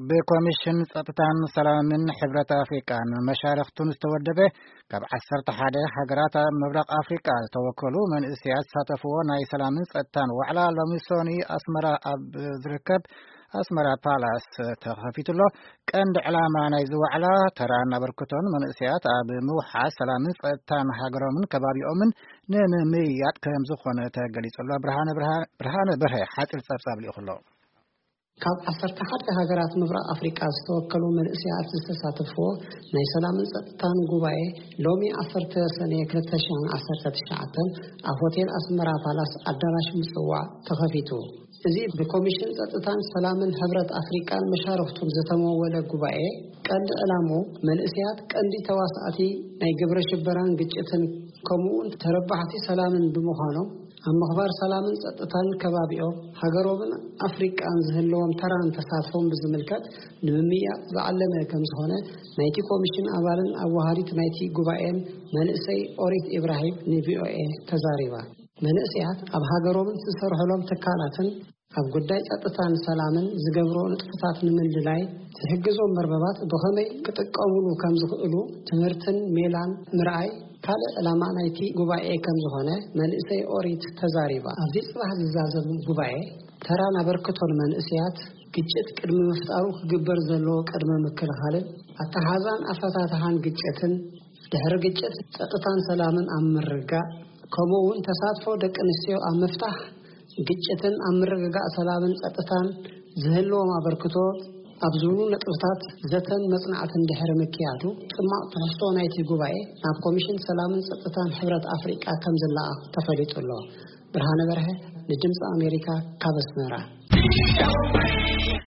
ብኮሚሽን ጸጥታን ሰላምን ሕብረት ኣፍሪቃን መሻርኽቱን ዝተወደበ ካብ ዓሰርተ ሓደ ሃገራት ኣብ ምብራቕ ኣፍሪቃ ዝተወከሉ መንእሰያት ዝሳተፍዎ ናይ ሰላምን ጸጥታን ዋዕላ ሎሚ ሶኒ ኣስመራ ኣብ ዝርከብ ኣስመራ ፓላስ ተኸፊቱ ኣሎ። ቀንዲ ዕላማ ናይዚ ዋዕላ ተራን ኣበርክቶን መንእሰያት ኣብ ምውሓስ ሰላምን ጸጥታን ሃገሮምን ከባቢኦምን ንምምይያጥ ከም ዝኾነ ተገሊጹ ኣሎ። ብርሃነ ብርሃ-፣ ብርሃነ በርሀ ሓጺር ጸብጻብ ልኢኹ ኣሎ። ካብ ዓሰርተ ሓደ ሃገራት ምብራቕ ኣፍሪቃ ዝተወከሉ መንእሰያት ዝተሳተፍዎ ናይ ሰላምን ጸጥታን ጉባኤ ሎሚ ዓሰርተ ሰነ ክልተ ሽሕን ዓሰርተ ትሽዓተን ኣብ ሆቴል ኣስመራ ፓላስ ኣዳራሽ ምጽዋዕ ተኸፊቱ። እዚ ብኮሚሽን ጸጥታን ሰላምን ሕብረት ኣፍሪቃን መሻርኽቱን ዝተመወለ ጉባኤ ቀንዲ ዕላምኡ መንእሰያት ቀንዲ ተዋሳእቲ ናይ ግብረ ሽበራን ግጭትን ከምኡውን ተረባሕቲ ሰላምን ብምዃኖም ኣብ ምኽባር ሰላምን ጸጥታን ከባቢኦም ሃገሮምን ኣፍሪቃን ዝህልዎም ተራን ተሳትፎም ብዝምልከት ንምምያጥ ዝዓለመ ከም ዝኾነ ናይቲ ኮሚሽን ኣባልን ኣዋሃዲት ናይቲ ጉባኤን መንእሰይ ኦሪት ኢብራሂም ንቪኦኤ ተዛሪባ። መንእሰያት ኣብ ሃገሮምን ዝሰርሕሎም ትካላትን ኣብ ጉዳይ ጸጥታን ሰላምን ዝገብሮ ንጥፈታት ንምልላይ ዝሕግዞም መርበባት ብኸመይ ክጥቀሙሉ ከም ዝኽእሉ ትምህርትን ሜላን ምርኣይ ካልእ ዕላማ ናይቲ ጉባኤ ከም ዝኾነ መንእሰይ ኦሪት ተዛሪባ። ኣብዚ ጽባሕ ዝዛዘም ጉባኤ ተራን ኣበርክቶን መንእሰያት፣ ግጭት ቅድሚ ምፍጣሩ ክግበር ዘለዎ ቅድመ ምክልኻልን ኣተሓዛን ኣፈታትሓን ግጭትን፣ ድሕሪ ግጭት ጸጥታን ሰላምን ኣብ ምርጋእ፣ ከምኡ እውን ተሳትፎ ደቂ ኣንስትዮ ኣብ ምፍታሕ ግጭትን ኣብ ምርግጋእ ሰላምን ጸጥታን ዝህልዎም ኣበርክቶ ኣብ ዝብሉ ነጥብታት ዘተን መጽናዕትን ድሕሪ ምክያዱ፣ ጽማቕ ትሕዝቶ ናይቲ ጉባኤ ናብ ኮሚሽን ሰላምን ጸጥታን ሕብረት ኣፍሪቃ ከም ዝለኣኽ ተፈሊጡ ኣሎ። ብርሃነ በርሀ ንድምፂ ኣሜሪካ ካብ ኣስመራ።